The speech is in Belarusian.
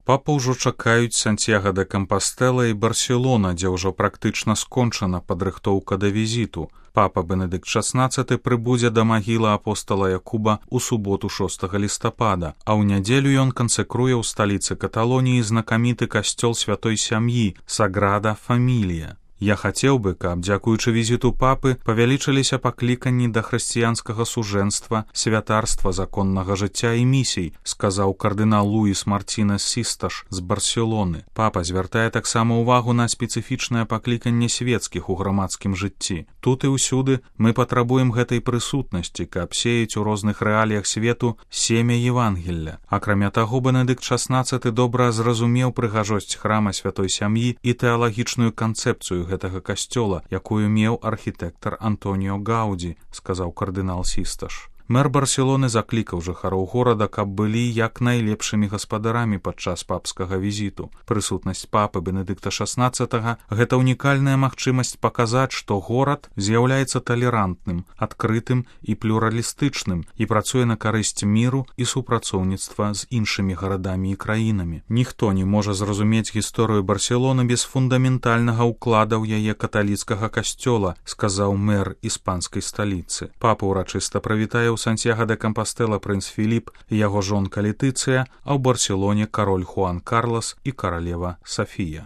Папа ўжо чакаюць Сантьяго де Кампастэла і Барселона, дзе ўжо практычна скончана падрыхтоўка да візіту. Папа Бенедыкт XVI прыбудзе да магілы апостала Якуба ў суботу 6 лістапада, а ў нядзелю ён кансекруе ў сталіцы Каталоніі знакаміты касцёл святой сям'і Саграда Фамілія. Я хацеў бы, каб, дзякуючы візіту папы, павялічыліся пакліканні да хрысціянскага сужэнства, святарства законнага жыцця і місій, сказаў кардынал Луіс Мартінес Систаш з Барселоны. Папа звяртае таксама ўвагу на спецыфічнае пакліканне свецкіх у грамадскім жыцці. Тут і ўсюды мы патрабуем гэтай прысутнасці, каб сеяць у розных рэаліях свету семя Евангелля. Акрамя таго, Бенедыкт XVI добра зразумеў прыгажосць храма святой сям'і і тэалагічную канцэпцыю гэтага касцёла, якую меў архітэктар Антоніо Гаўдзі, сказаў кардынал Систаш. Мэр Барселоны заклікаў жыхароў горада, каб былі як найлепшымі гаспадарамі падчас папскага візіту. Прысутнасць папы Бенедыкта XVI – гэта унікальная магчымасць паказаць, што горад з'яўляецца талерантным, адкрытым і плюралістычным і працуе на карысць міру і супрацоўніцтва з іншымі гарадамі і краінамі. Ніхто не можа зразумець гісторыю Барселоны без фундаментальнага ўклада ў яе каталіцкага касцёла, сказаў мэр іспанскай сталіцы. Папа ўрачыста прывітае ў Сантьяго де Кампастэла прынц Філіп і яго жонка Летыцыя, а ў Барселоне кароль Хуан Карлас і каралева Сафія.